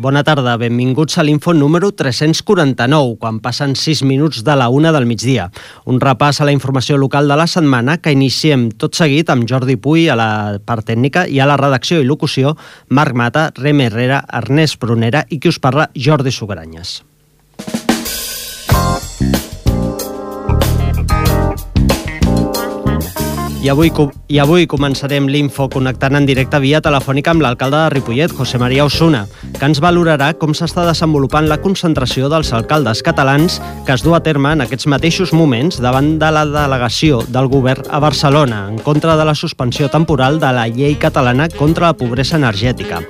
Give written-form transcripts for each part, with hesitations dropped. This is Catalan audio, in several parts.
Bona tarda, benvinguts a l'Info número 349, quan passen 6 minuts de la 1 del migdia. Un repàs a la informació local de la setmana que iniciem tot seguit amb Jordi Puy a la part tècnica i a la redacció i locució, Marc Mata, Rem Herrera, Ernest Prunera i qui us parla, Jordi Sugranyes. I avui començarem l'Info connectant en directe via telefònica amb l'alcalde de Ripollet, José María Osuna, que ens valorarà com s'està desenvolupant la concentració dels alcaldes catalans que es du a terme en aquests mateixos moments davant de la delegació del govern a Barcelona en contra de la suspensió temporal de la llei catalana contra la pobresa energètica.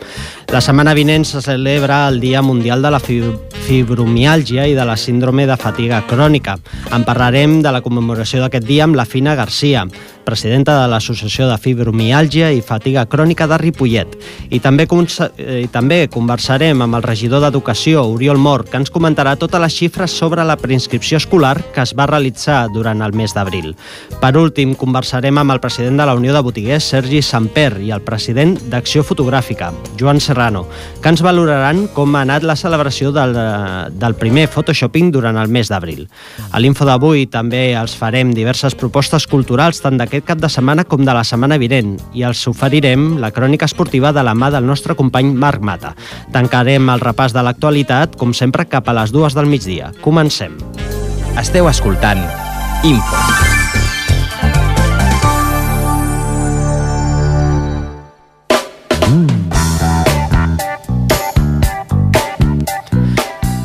La setmana vinent se celebra el Dia Mundial de la Fibromiàlgia i de la Síndrome de Fatiga Crònica. En parlarem de la commemoració d'aquest dia amb la Fina Garcia, presidenta de l'Associació de Fibromiàlgia i Fatiga Crònica de Ripollet. I també conversarem amb el regidor d'Educació, Oriol Mort, que ens comentarà totes les xifres sobre la preinscripció escolar que es va realitzar durant el mes d'abril. Per últim, conversarem amb el president de la Unió de Botiguers, Sergi Samper, i el president d'Acció Fotogràfica, Joan Serrano, que ens valoraran com ha anat la celebració del primer photoshopping durant el mes d'abril. A l'Info d'avui també els farem diverses propostes culturals tant d'aquest cap de setmana com de la setmana vinent i els oferirem la crònica esportiva de la mà del nostre company Marc Mata. Tancarem el repàs de l'actualitat, com sempre, cap a les 2 del migdia. Comencem. Esteu escoltant Info.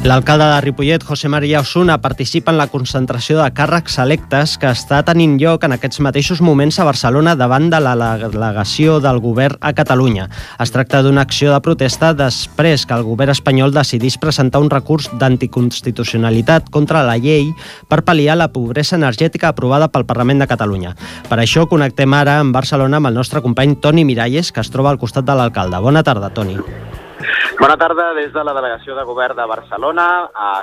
L'alcalde de Ripollet, José María Osuna, participa en la concentració de càrrecs electes que està tenint lloc en aquests mateixos moments a Barcelona davant de la delegació del govern a Catalunya. Es tracta d'una acció de protesta després que el govern espanyol decidís presentar un recurs d'anticonstitucionalitat contra la llei per pal·liar la pobresa energètica aprovada pel Parlament de Catalunya. Per això connectem ara amb Barcelona amb el nostre company Toni Miralles, que es troba al costat de l'alcalde. Bona tarda, Toni. Bona tarda des de la delegació de govern de Barcelona,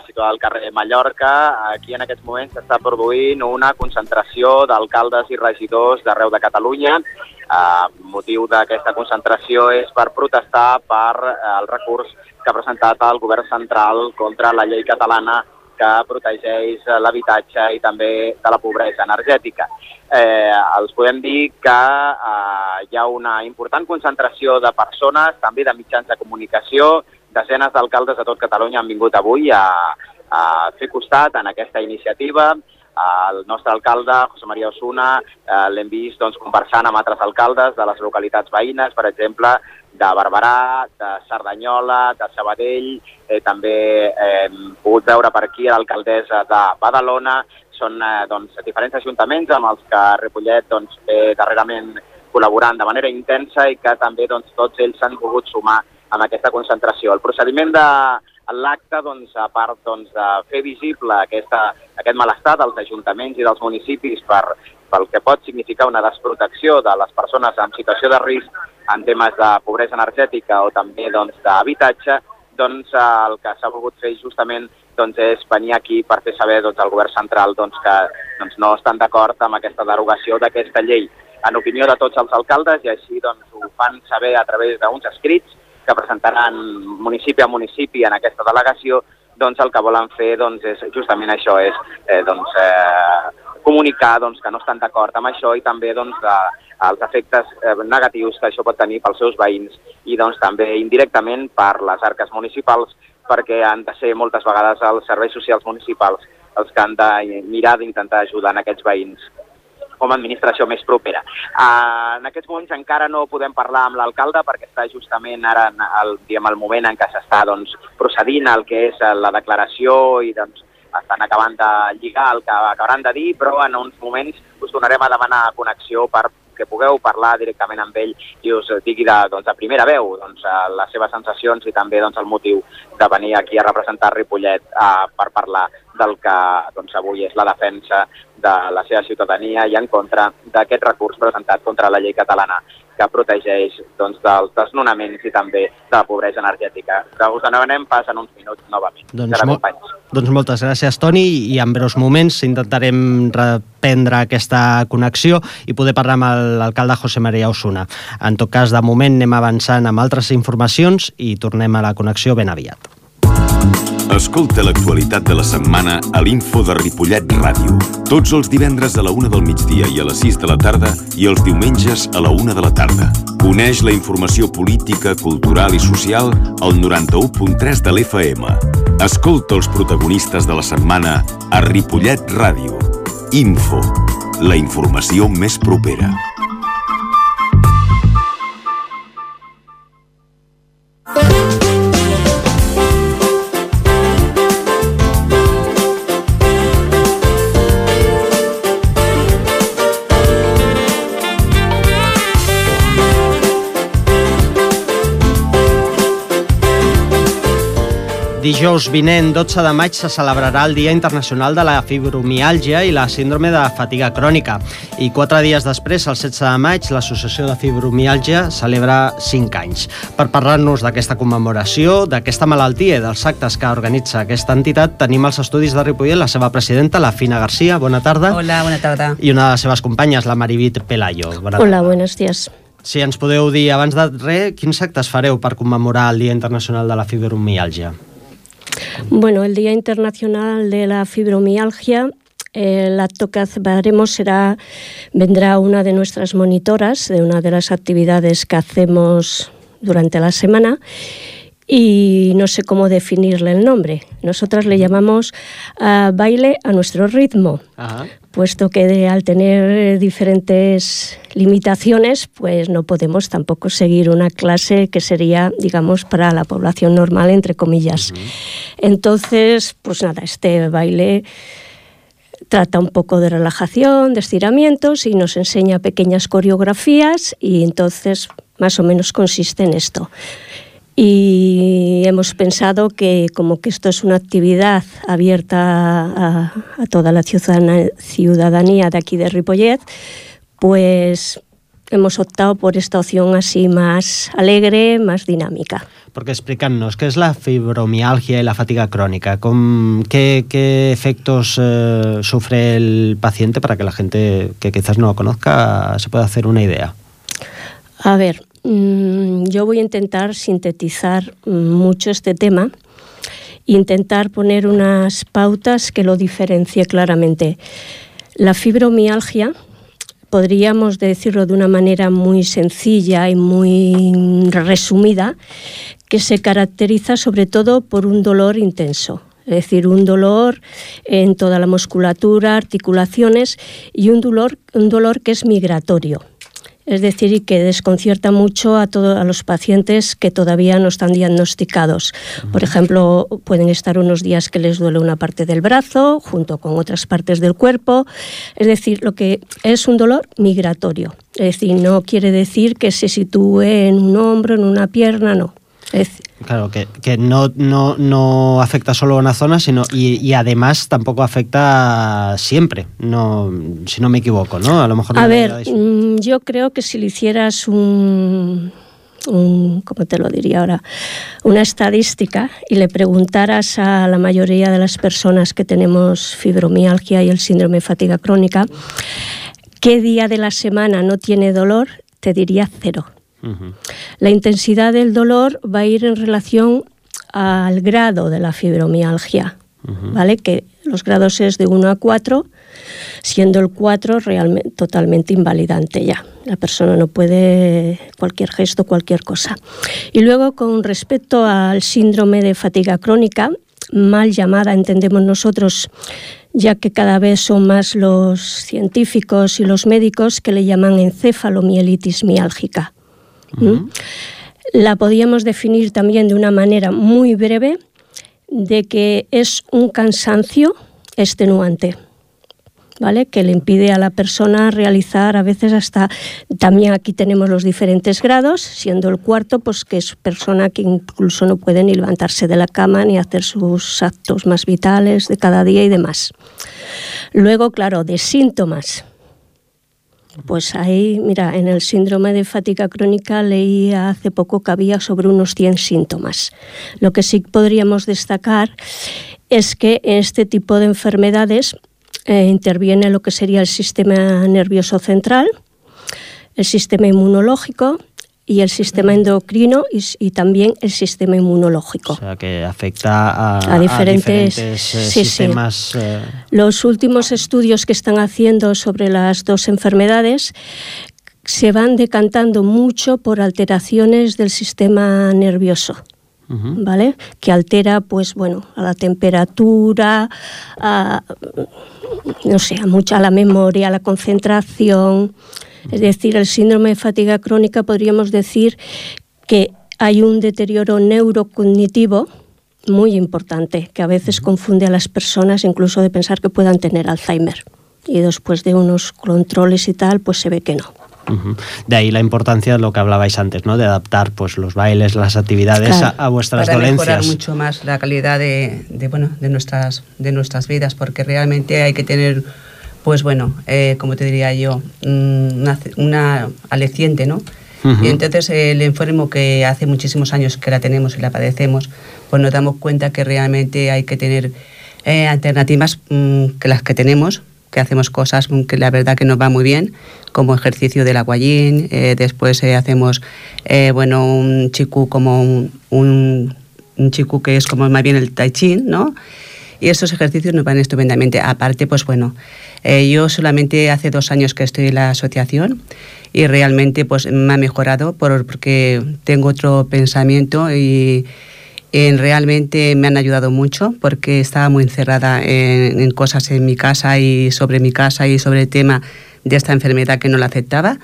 situada al carrer Mallorca. Aquí en aquests moments s'està produint una concentració d'alcaldes i regidors d'arreu de Catalunya. El motiu d'aquesta concentració és per protestar per el recurs que ha presentat el govern central contra la llei catalana que protegeix l'habitatge i també de la pobresa energètica. Els podem dir que hi ha una important concentració de persones, també de mitjans de comunicació. Desenes d'alcaldes de tot Catalunya han vingut avui a fer costat en aquesta iniciativa. El nostre alcalde, José María Osuna, l'hem vist conversant amb altres alcaldes de les localitats veïnes, per exemple, de Barberà, de Cerdanyola, de Sabadell. També hem pogut veure per aquí l'alcaldessa de Badalona. Són diferents ajuntaments amb els que Ripollet ve darrerament col·laborant de manera intensa i que també tots ells s'han volgut sumar en aquesta concentració. El procediment de l'acte, a part de fer visible aquest malestar dels ajuntaments i dels municipis pel que pot significar una desprotecció de les persones en situació de risc en temes de pobresa energètica o també d'habitatge, el que s'ha volgut fer justament és venir aquí per fer saber al govern central que no estan d'acord amb aquesta derogació d'aquesta llei. En opinió de tots els alcaldes, i així ho fan saber a través d'uns escrits que presentaran municipi a municipi en aquesta delegació, el que volen fer és justament això, és comunicar que no estan d'acord amb això i també els efectes negatius que això pot tenir pels seus veïns i també indirectament per les arques municipals, perquè han de ser moltes vegades els serveis socials municipals els que han de mirar d'intentar ajudar en aquests veïns com a administració més propera. En aquests moments encara no podem parlar amb l'alcalde perquè està justament ara el moment en què s'està procedint al que és la declaració i estan acabant de lligar el que acabaran de dir, però en uns moments us tornarem a demanar connexió perquè pugueu parlar directament amb ell i us digui de primera veu les seves sensacions i també el motiu de venir aquí a representar Ripollet per parlar del que doncs, avui és la defensa de la seva ciutadania i en contra d'aquest recurs presentat contra la llei catalana que protegeix doncs, dels desnonaments i també de la pobresa energètica. Us demanem pas en uns minuts novament. Doncs moltes gràcies, Toni, i en breus moments intentarem reprendre aquesta connexió i poder parlar amb l'alcalde José María Osuna. En tot cas, de moment anem avançant amb altres informacions i tornem a la connexió ben aviat. Escolta l'actualitat de la setmana a l'Info de Ripollet Ràdio. Tots els divendres a la 1 del migdia i a les 6 de la tarda i els diumenges a la 1 de la tarda. Coneix la informació política, cultural i social al 91.3 de l'FM. Escolta els protagonistes de la setmana a Ripollet Ràdio. Info, la informació més propera. Dijous vinent, 12 de maig, se celebrarà el Dia Internacional de la Fibromiàlgia i la síndrome de fatiga crònica. I 4 dies després, el 16 de maig, l'Associació de Fibromiàlgia celebra 5 anys. Per parlar-nos d'aquesta commemoració, d'aquesta malaltia i dels actes que organitza aquesta entitat, tenim als estudis de Ripollet la seva presidenta, la Fina Garcia. Bona tarda. Hola, bona tarda. I una de les seves companyes, la Marivit Pelayo. Hola, buenos días. Si ens podeu dir, abans de res, quins actes fareu per commemorar el Dia Internacional de la Fibromiàlgia? Bueno, el Día Internacional de la Fibromialgia, el acto que haremos vendrá una de nuestras monitoras de una de las actividades que hacemos durante la semana y no sé cómo definirle el nombre. Nosotras le llamamos baile a nuestro ritmo. Ajá. Puesto que al tener diferentes limitaciones, pues no podemos tampoco seguir una clase que sería, digamos, para la población normal, entre comillas. Uh-huh. Entonces, pues nada, este baile trata un poco de relajación, de estiramientos y nos enseña pequeñas coreografías y entonces más o menos consiste en esto. Y hemos pensado que como que esto es una actividad abierta a toda la ciudadanía de aquí de Ripollet, pues hemos optado por esta opción así más alegre, más dinámica. Porque explícanos, ¿qué es la fibromialgia y la fatiga crónica? ¿Qué efectos sufre el paciente para que la gente que quizás no lo conozca se pueda hacer una idea? A ver, yo voy a intentar sintetizar mucho este tema, intentar poner unas pautas que lo diferencie claramente. La fibromialgia, podríamos decirlo de una manera muy sencilla y muy resumida, que se caracteriza sobre todo por un dolor intenso. Es decir, un dolor en toda la musculatura, articulaciones y un dolor que es migratorio. Es decir, y que desconcierta mucho a los pacientes que todavía no están diagnosticados. Por ejemplo, pueden estar unos días que les duele una parte del brazo, junto con otras partes del cuerpo. Es decir, lo que es un dolor migratorio. Es decir, no quiere decir que se sitúe en un hombro, en una pierna, no. Claro, que no afecta solo a una zona, sino y además tampoco afecta siempre, no, si no me equivoco, ¿no? A lo mejor. Yo creo que si le hicieras ¿cómo te lo diría ahora? Una estadística y le preguntaras a la mayoría de las personas que tenemos fibromialgia y el síndrome de fatiga crónica, ¿qué día de la semana no tiene dolor? Te diría 0. Uh-huh. La intensidad del dolor va a ir en relación al grado de la fibromialgia, uh-huh. ¿Vale? Que los grados es de 1 a 4, siendo el 4 realmente totalmente invalidante ya. La persona no puede cualquier gesto, cualquier cosa. Y luego, con respecto al síndrome de fatiga crónica, mal llamada, entendemos nosotros, ya que cada vez son más los científicos y los médicos que le llaman encefalomielitis miálgica. Uh-huh. La podíamos definir también de una manera muy breve, de que es un cansancio extenuante. ¿vale? Que le impide a la persona realizar a veces hasta, también aquí tenemos los diferentes grados, siendo el cuarto, pues que es persona que incluso no puede ni levantarse de la cama ni hacer sus actos más vitales de cada día y demás. Luego, claro, de síntomas. Pues ahí, mira, en el síndrome de fatiga crónica leí hace poco que había sobre unos 100 síntomas. Lo que sí podríamos destacar es que en este tipo de enfermedades interviene lo que sería el sistema nervioso central, el sistema inmunológico y el sistema endocrino y también el sistema inmunológico. O sea, que afecta a diferentes sistemas. Sí. Los últimos estudios que están haciendo sobre las dos enfermedades se van decantando mucho por alteraciones del sistema nervioso. ¿Vale? Que altera, pues bueno, a la temperatura, a la memoria, a la concentración. Es decir, el síndrome de fatiga crónica podríamos decir que hay un deterioro neurocognitivo muy importante, que a veces confunde a las personas incluso de pensar que puedan tener Alzheimer. Y después de unos controles y tal, pues se ve que no. De ahí la importancia de lo que hablabais antes, ¿no? De adaptar pues los bailes, las actividades a vuestras dolencias. Para mejorar mucho más la calidad de nuestras vidas, porque realmente hay que tener, pues bueno, como te diría yo, una aliciente, ¿no? Y entonces el enfermo, que hace muchísimos años que la tenemos y la padecemos, pues nos damos cuenta que realmente hay que tener alternativas que las que tenemos, que hacemos cosas que la verdad que nos va muy bien, como ejercicio del aguayín, después hacemos un chikú, como un chikú que es como más bien el tai chi, ¿no? Y estos ejercicios nos van estupendamente. Aparte, pues bueno, yo solamente hace 2 años que estoy en la asociación y realmente pues me ha mejorado porque tengo otro pensamiento y realmente me han ayudado mucho, porque estaba muy encerrada en cosas en mi casa y sobre el tema de esta enfermedad que no la aceptaba.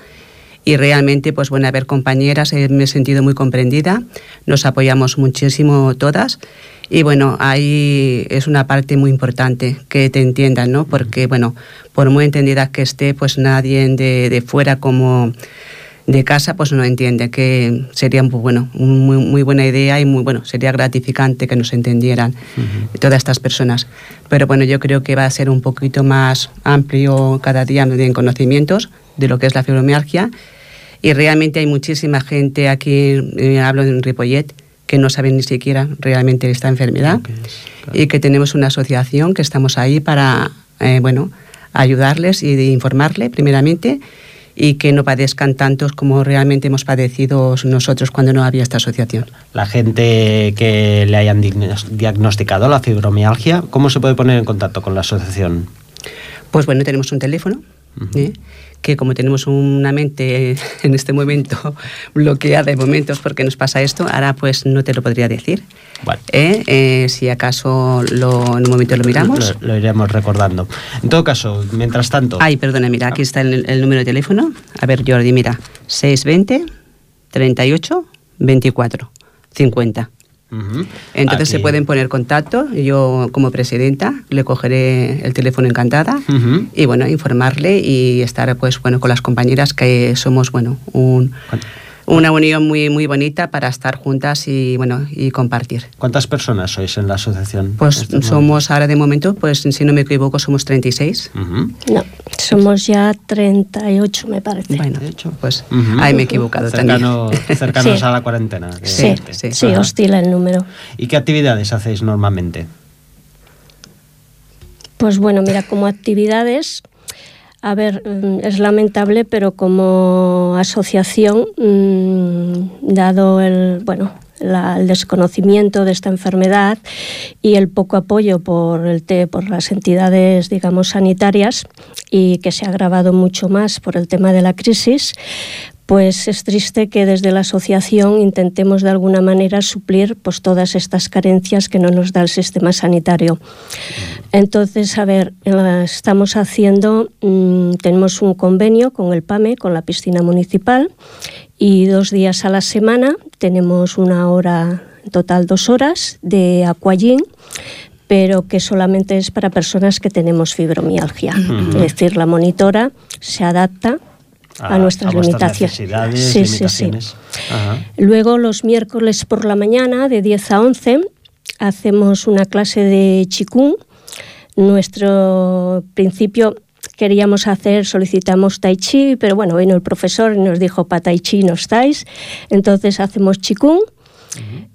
Y realmente, pues bueno, a ver, compañeras, me he sentido muy comprendida, nos apoyamos muchísimo todas. Y bueno, ahí es una parte muy importante que te entiendan, ¿no? Porque bueno, por muy entendida que esté, pues nadie de fuera como de casa pues no entiende, que sería muy buena idea y muy bueno, sería gratificante que nos entendieran todas estas personas. Pero bueno, yo creo que va a ser un poquito más amplio cada día en conocimientos de lo que es la fibromialgia, y realmente hay muchísima gente aquí, hablo en Ripollet, que no saben ni siquiera realmente esta enfermedad, y que tenemos una asociación que estamos ahí para ayudarles y de informarle primeramente, y que no padezcan tantos como realmente hemos padecido nosotros cuando no había esta asociación. La gente que le hayan diagnosticado la fibromialgia, ¿cómo se puede poner en contacto con la asociación? Pues bueno, tenemos un teléfono, que como tenemos una mente en este momento bloqueada de momentos porque nos pasa esto, ahora pues no te lo podría decir. Vale. Si acaso en un momento lo miramos. Lo iremos recordando. En todo caso, mientras tanto... Ay, perdona, mira, aquí está el número de teléfono. A ver, Jordi, mira, 620 38 24 50. Entonces aquí se pueden poner contacto. Yo como presidenta le cogeré el teléfono encantada y bueno, informarle y estar pues bueno con las compañeras, que somos bueno una unión muy muy bonita para estar juntas y bueno y compartir. ¿Cuántas personas sois en la asociación? Pues somos ahora de momento, pues si no me equivoco, somos 36. No, somos ya 38 me parece. Bueno, pues ahí me he equivocado cercanos sí. A la cuarentena. Sí, oscila el número. ¿Y qué actividades hacéis normalmente? Pues bueno, mira, como actividades... A ver, es lamentable, pero como asociación, dado el desconocimiento de esta enfermedad y el poco apoyo por las entidades, digamos, sanitarias, y que se ha agravado mucho más por el tema de la crisis, pues es triste que desde la asociación intentemos de alguna manera suplir pues todas estas carencias que no nos da el sistema sanitario. Entonces, a ver, estamos haciendo, tenemos un convenio con el PAME, con la piscina municipal, y 2 días a la semana tenemos 1 hora, en total 2 horas, de aquagym pero que solamente es para personas que tenemos fibromialgia. Es decir, la monitora se adapta a nuestras limitaciones. Limitaciones. Ajá. Luego, los miércoles por la mañana, de 10 a 11, hacemos una clase de Qigong. Nuestro principio solicitamos Tai Chi, pero bueno, vino el profesor y nos dijo, para Tai Chi no estáis, entonces hacemos Qigong.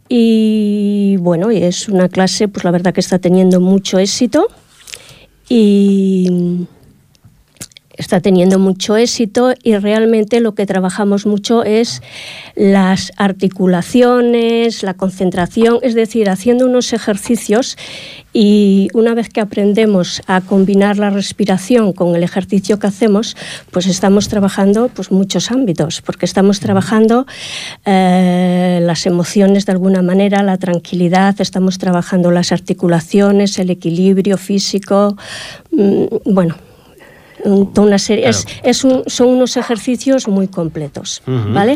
Y bueno, y es una clase, pues la verdad que está teniendo mucho éxito y realmente lo que trabajamos mucho es las articulaciones, la concentración, es decir, haciendo unos ejercicios, y una vez que aprendemos a combinar la respiración con el ejercicio que hacemos, pues estamos trabajando pues muchos ámbitos, porque estamos trabajando las emociones de alguna manera, la tranquilidad, estamos trabajando las articulaciones, el equilibrio físico, bueno, toda una serie, claro. Son unos ejercicios muy completos, ¿vale?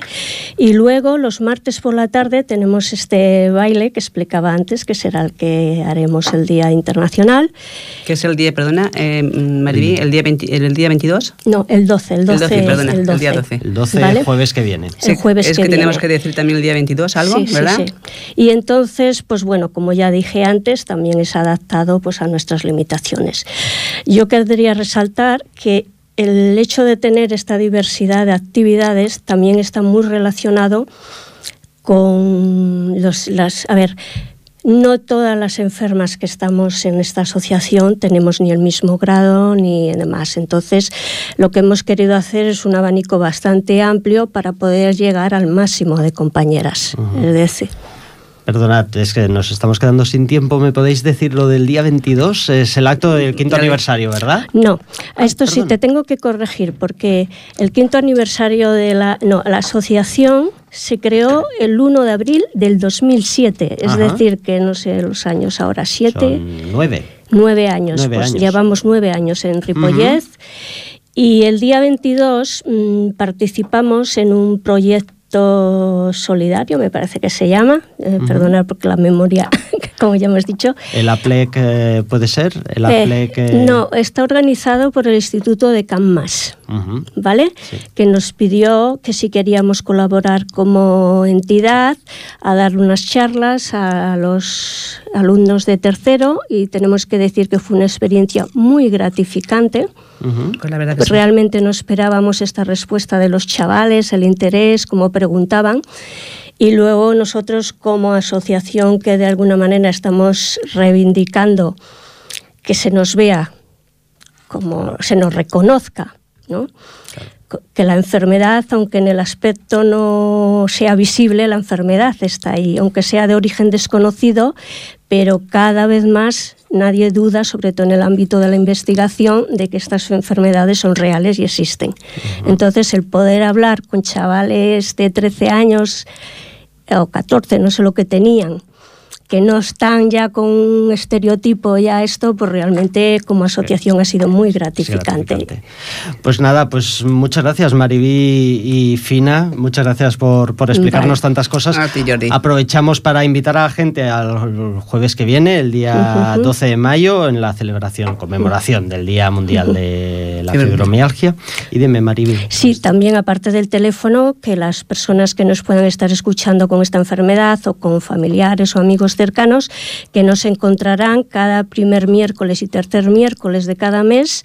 Y luego los martes por la tarde tenemos este baile que explicaba antes, que será el que haremos el Día Internacional. ¿Qué es el día, perdona, Mariví, el día 22? No, el 12, el día 12. El 12, ¿vale? Jueves que viene. El jueves es que tenemos que decir también el día 22 algo, sí, ¿verdad? Sí. Y entonces, pues bueno, como ya dije antes, también es adaptado pues a nuestras limitaciones. Yo querría resaltar que el hecho de tener esta diversidad de actividades también está muy relacionado con no todas las enfermas que estamos en esta asociación tenemos ni el mismo grado ni demás. Entonces, lo que hemos querido hacer es un abanico bastante amplio para poder llegar al máximo de compañeras. Es decir, perdonad, es que nos estamos quedando sin tiempo. ¿Me podéis decir lo del día 22? Es el acto del 5º aniversario, ¿verdad? No, a esto sí te tengo que corregir, porque el 5º aniversario de la asociación se creó el 1 de abril del 2007. Es decir, que no sé los años ahora, 7... Son 9. 9 años. Pues llevamos 9 años en Ripollet. Y el día 22 participamos en un proyecto solidario, me parece que se llama, perdonad porque la memoria, como ya hemos dicho. ¿El APLEC puede ser? No, está organizado por el Instituto de Can Mas, ¿vale? Sí. Que nos pidió que si queríamos colaborar como entidad a dar unas charlas a los alumnos de tercero, y tenemos que decir que fue una experiencia muy gratificante. Pues la verdad que realmente no esperábamos esta respuesta de los chavales, el interés, como preguntaban, y luego nosotros como asociación que de alguna manera estamos reivindicando que se nos vea, como se nos reconozca, ¿no? Claro. Que la enfermedad, aunque en el aspecto no sea visible, la enfermedad está ahí, aunque sea de origen desconocido, pero cada vez más nadie duda, sobre todo en el ámbito de la investigación, de que estas enfermedades son reales y existen. Entonces, el poder hablar con chavales de 13 años o 14, no sé lo que tenían, que no están ya con un estereotipo ya esto, pues realmente como asociación ha sido muy gratificante. Pues nada, pues muchas gracias Mariví y Fina, muchas gracias por explicarnos tantas cosas. A ti, Jordi. Aprovechamos para invitar a la gente al jueves que viene, el día 12 de mayo, en la conmemoración del Día Mundial de la Fibromialgia. Y dime, Mariví. Sí, también aparte del teléfono, que las personas que nos puedan estar escuchando con esta enfermedad o con familiares o amigos cercanos, que nos encontrarán cada primer miércoles y tercer miércoles de cada mes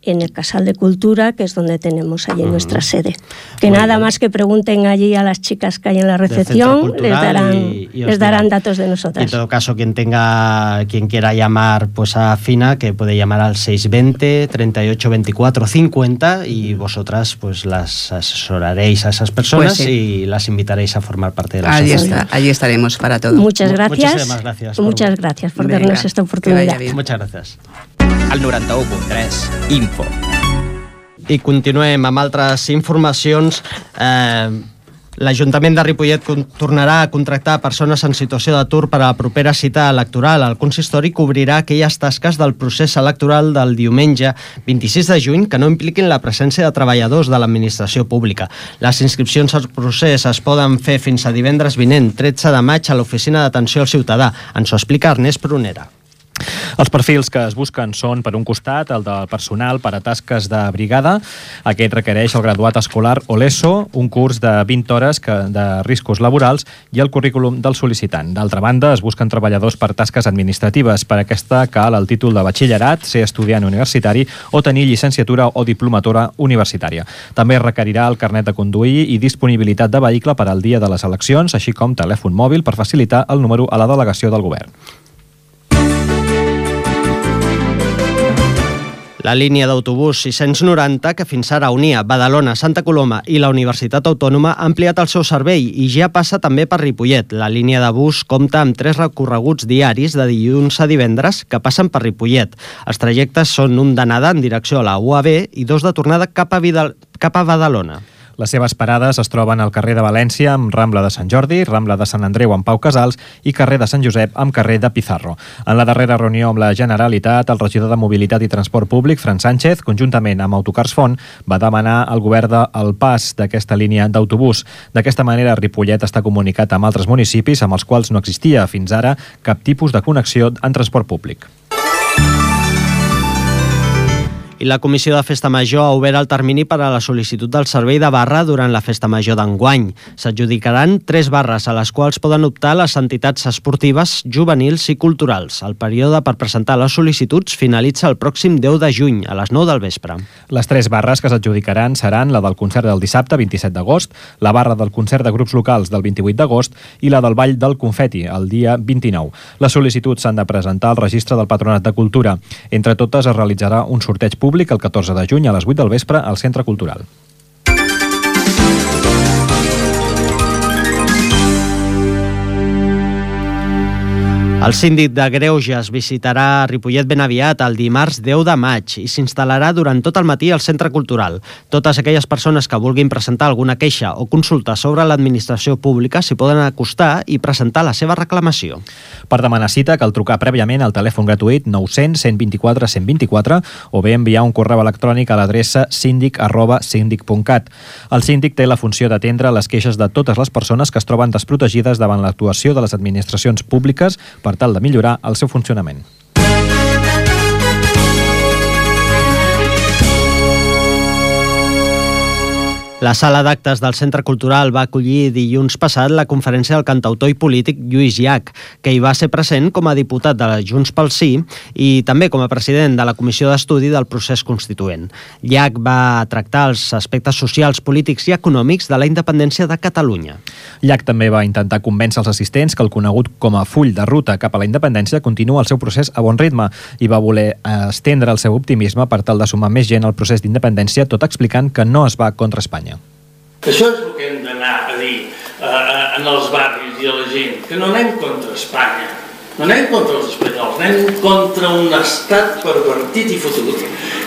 en el Casal de Cultura, que es donde tenemos allí nuestra sede. Que muy nada bien. Más que pregunten allí a las chicas que hay en la recepción, les darán datos de nosotras. En todo caso, quien quiera llamar pues a Fina, que puede llamar al 620 38 24 50, y vosotras pues las asesoraréis a esas personas, pues sí, y las invitaréis a formar parte de la asociación. Allí estaremos para todo. Muchas gracias. Muchísimas gracias. Muchas gracias por darnos esta oportunidad. Muchas gracias. Al 91.3 Info. I continuem amb altres informacions. L'Ajuntament de Ripollet tornarà a contractar persones en situació d'atur per a la propera cita electoral. El consistori cobrirà aquelles tasques del procés electoral del diumenge 26 de juny que no impliquin la presència de treballadors de l'administració pública. Les inscripcions al procés es poden fer fins a divendres vinent, 13 de maig, a l'Oficina d'Atenció al Ciutadà. Ens ho explica Ernest Prunera. Els perfils que es busquen són, per un costat, el del personal per a tasques de brigada. Aquest requereix el graduat escolar o l'ESO, un curs de 20 hores de riscos laborals i el currículum del sol·licitant. D'altra banda, es busquen treballadors per tasques administratives. Per aquesta cal el títol de batxillerat, ser estudiant universitari o tenir llicenciatura o diplomatura universitària. També es requerirà el carnet de conduir i disponibilitat de vehicle per al dia de les eleccions, així com telèfon mòbil per facilitar el número a la delegació del govern. La línia d'autobús 690, que fins ara unia Badalona, Santa Coloma i la Universitat Autònoma, ha ampliat el seu servei i ja passa també per Ripollet. La línia de bus compta amb 3 recorreguts diaris de dilluns a divendres que passen per Ripollet. Els trajectes són un d'anada en direcció a la UAB i 2 de tornada cap a Badalona. Les seves parades es troben al carrer de València amb Rambla de Sant Jordi, Rambla de Sant Andreu amb Pau Casals i carrer de Sant Josep amb carrer de Pizarro. En la darrera reunió amb la Generalitat, el regidor de Mobilitat i Transport Públic, Fran Sánchez, conjuntament amb Autocars Font, va demanar al govern el pas d'aquesta línia d'autobús. D'aquesta manera, Ripollet està comunicat amb altres municipis amb els quals no existia fins ara cap tipus de connexió en transport públic. I la Comissió de Festa Major ha obert el termini per a la sol·licitud del servei de barra durant la Festa Major d'enguany. S'adjudicaran 3 barres a les quals poden optar les entitats esportives, juvenils i culturals. El període per presentar les sol·licituds finalitza el pròxim 10 de juny, a les 9 del vespre. Les 3 barres que s'adjudicaran seran la del concert del dissabte 27 d'agost, la barra del concert de grups locals del 28 d'agost i la del ball del confeti el dia 29. Les sol·licituds s'han de presentar al registre del Patronat de Cultura. Entre totes es realitzarà un sorteig públic el 14 de juny a les 8 del vespre al Centre Cultural. El síndic de Greuges visitarà Ripollet ben aviat el dimarts 10 de maig i s'instal·larà durant tot el matí al Centre Cultural. Totes aquelles persones que vulguin presentar alguna queixa o consulta sobre l'administració pública s'hi poden acostar i presentar la seva reclamació. Per demanar cita cal trucar prèviament al telèfon gratuït 900 124 124 o bé enviar un correu electrònic a l'adreça sindic@sindic.cat. El síndic té la funció d'atendre les queixes de totes les persones que es troben desprotegides davant l'actuació de les administracions públiques per tal de millorar el seu funcionament. La sala d'actes del Centre Cultural va acollir dilluns passat la conferència del cantautor i polític Lluís Llach, que hi va ser present com a diputat de la Junts pel Sí i també com a president de la Comissió d'Estudi del Procés Constituent. Llach va tractar els aspectes socials, polítics i econòmics de la independència de Catalunya. Llach també va intentar convèncer els assistents que el conegut com a full de ruta cap a la independència continua el seu procés a bon ritme i va voler estendre el seu optimisme per tal de sumar més gent al procés d'independència, tot explicant que no es va contra Espanya. Això és el que hem d'anar a dir en els barris i a la gent, que no anem contra Espanya, no anem contra els espanyols, anem contra un estat pervertit i fotut,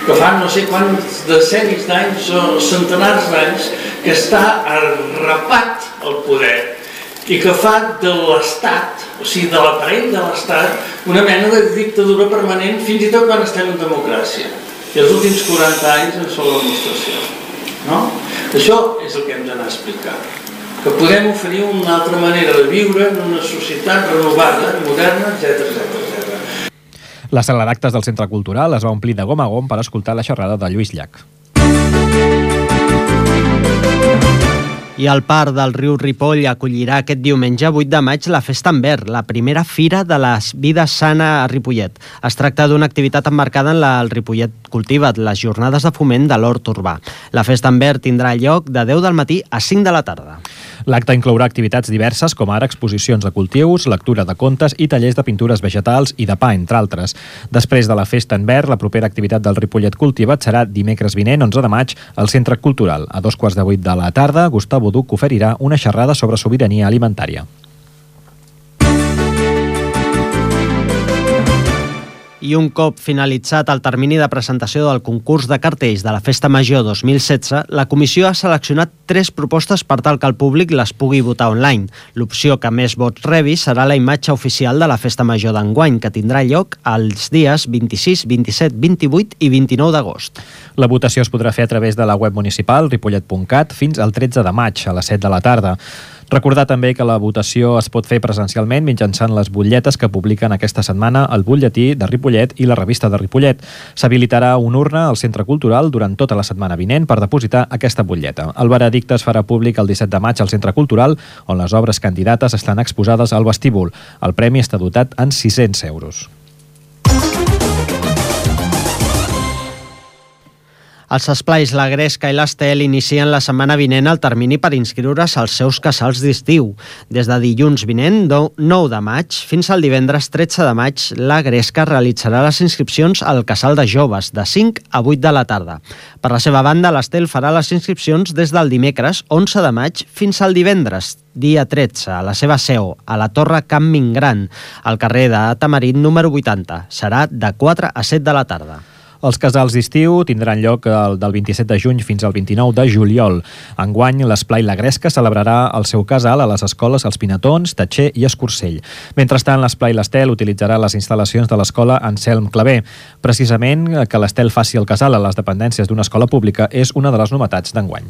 que fa no sé quants decennis d'anys o centenars d'anys que està arrapat al poder i que fa de l'Estat, o sigui, de l'aparell de l'Estat, una mena de dictadura permanent, fins i tot quan estem en democràcia. I els últims 40 anys en són la demostració. No? Això és el que hem d'anar a explicar, que podem oferir una altra manera de viure en una societat renovada, moderna, etc. La sala d'actes del Centre Cultural es va omplir de gom a gom per escoltar la xerrada de Lluís Llach. I el Parc del Riu Ripoll acollirà aquest diumenge 8 de maig la Festa en Verd, la primera fira de la vida sana a Ripollet. Es tracta d'una activitat emmarcada en el Ripollet Cultiva't, les jornades de foment de l'hort urbà. La Festa en Verd tindrà lloc de 10 del matí a 5 de la tarda. L'acte inclourà activitats diverses com ara exposicions de cultius, lectura de contes i tallers de pintures vegetals i de pa, entre altres. Després de la Festa en Verd, la propera activitat del Ripollet Cultiva't serà dimecres vinent, 11 de maig, al Centre Cultural. A 2:15 de la tarda, Gustavo Duc oferirà una xerrada sobre sobirania alimentària. I un cop finalitzat el termini de presentació del concurs de cartells de la Festa Major 2016, la comissió ha seleccionat 3 propostes per tal que el públic les pugui votar online. L'opció que més vots rebi serà la imatge oficial de la Festa Major d'enguany, que tindrà lloc els dies 26, 27, 28 i 29 d'agost. La votació es podrà fer a través de la web municipal ripollet.cat fins al 13 de maig a les 7 de la tarda. Recordar també que la votació es pot fer presencialment mitjançant les butlletes que publiquen aquesta setmana el Butlletí de Ripollet i la Revista de Ripollet. S'habilitarà una urna al Centre Cultural durant tota la setmana vinent per depositar aquesta butlleta. El veredicte es farà públic el 17 de maig al Centre Cultural, on les obres candidates estan exposades al vestíbul. El premi està dotat en 600 euros. Els esplais La Gresca i l'Estel inicien la setmana vinent el termini per inscriure's als seus casals d'estiu. Des de dilluns vinent, 9 de maig, fins al divendres 13 de maig, La Gresca realitzarà les inscripcions al casal de joves de 5 a 8 de la tarda. Per la seva banda, l'Estel farà les inscripcions des del dimecres 11 de maig fins al divendres, dia 13, a la seva seu, a la Torre Camp Mingran, al carrer de Tamarit número 80. Serà de 4 a 7 de la tarda. Els casals d'estiu tindran lloc del 27 de juny fins al 29 de juliol. Enguany, l'Esplai La Gresca celebrarà el seu casal a les escoles Els Pinatons, Tatxer i Escursell. Mentrestant, l'Esplai l'Estel utilitzarà les instal·lacions de l'escola Anselm Clavé. Precisament, que l'Estel faci el casal a les dependències d'una escola pública és una de les novetats d'enguany.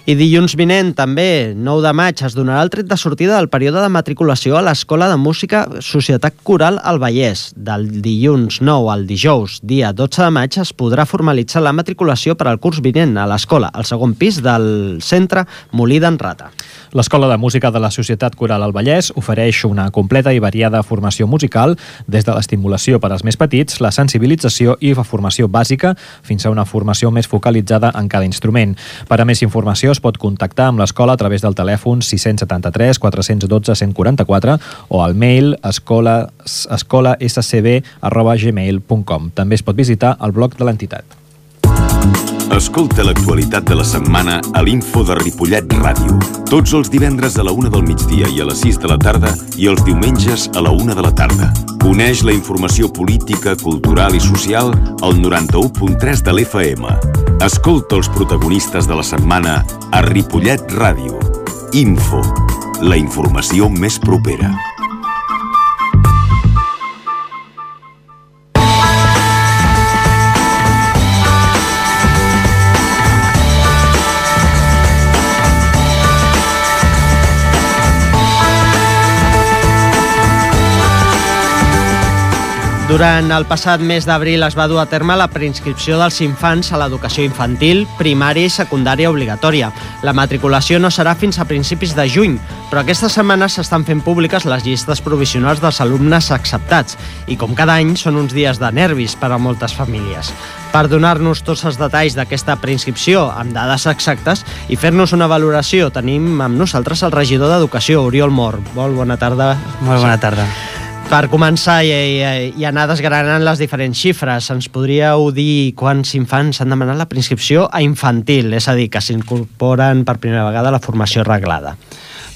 I dilluns vinent, també, 9 de maig, es donarà el tret de sortida del període de matriculació a l'Escola de Música Societat Coral al Vallès. Del dilluns 9 al dijous, dia 12 de maig, es podrà formalitzar la matriculació per al curs vinent a l'escola, al segon pis del centre Molí d'en Rata. L'Escola de Música de la Societat Coral al Vallès ofereix una completa i variada formació musical, des de l'estimulació per als més petits, la sensibilització i la formació bàsica, fins a una formació més focalitzada en cada instrument. Per a més informació es pot contactar amb l'escola a través del telèfon 673 412 144 o al mail escolascb@gmail.com. També es pot visitar el blog de l'entitat. Escolta l'actualitat de la setmana a l'Info de Ripollet Ràdio. Tots els divendres a la 1 del migdia i a les 6 de la tarda i els diumenges a la 1 de la tarda. Coneix la informació política, cultural i social al 91.3 de l'FM. Escolta els protagonistes de la setmana a Ripollet Ràdio. Info, la informació més propera. Durant el passat mes d'abril es va dur a terme la preinscripció dels infants a l'educació infantil, primària i secundària obligatòria. La matriculació no serà fins a principis de juny, però aquesta setmana s'estan fent públiques les llistes provisionals dels alumnes acceptats i, com cada any, són uns dies de nervis per a moltes famílies. Per donar-nos tots els detalls d'aquesta preinscripció amb dades exactes i fer-nos una valoració, tenim amb nosaltres el regidor d'Educació, Oriol Mor. Molt bona tarda. Molt bona tarda. Per començar i anar desgranant les diferents xifres, ens podríeu dir quants infants han demanat la preinscripció a infantil, és a dir, que s'incorporen per primera vegada a la formació reglada?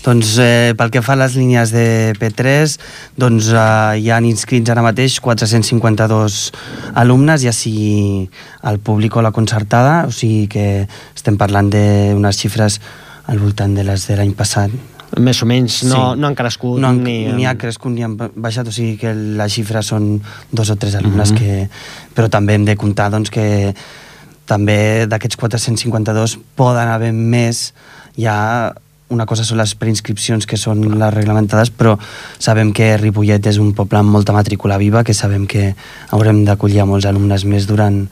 Doncs pel que fa a les línies de P3, doncs hi han inscrits ara mateix 452 alumnes, ja sigui el públic o la concertada, o sigui que estem parlant d'unes xifres al voltant de les de l'any passat. Més o menys, no han crescut ni ha crescut ni han baixat, o sigui que les xifres són 2 o 3 alumnes però també hem de comptar doncs, que també d'aquests 452 poden haver més. Ja una cosa són les preinscripcions, que són les reglamentades, però sabem que Ripollet és un poble amb molta matrícula viva, que sabem que haurem d'acollir a molts alumnes més durant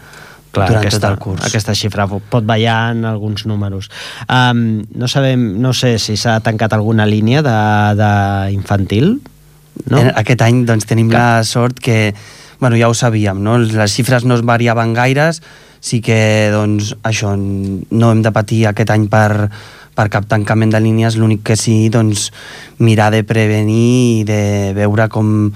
tot el curs. Aquesta xifra pot ballar en alguns números. No sé si s'ha tancat alguna línia d'infantil, no? Aquest any doncs, tenim la sort que, ja ho sabíem, no? Les xifres no es variaven gaires, sí que doncs, això, no hem de patir aquest any per cap tancament de línies, l'únic que sí, doncs, mirar de prevenir i de veure com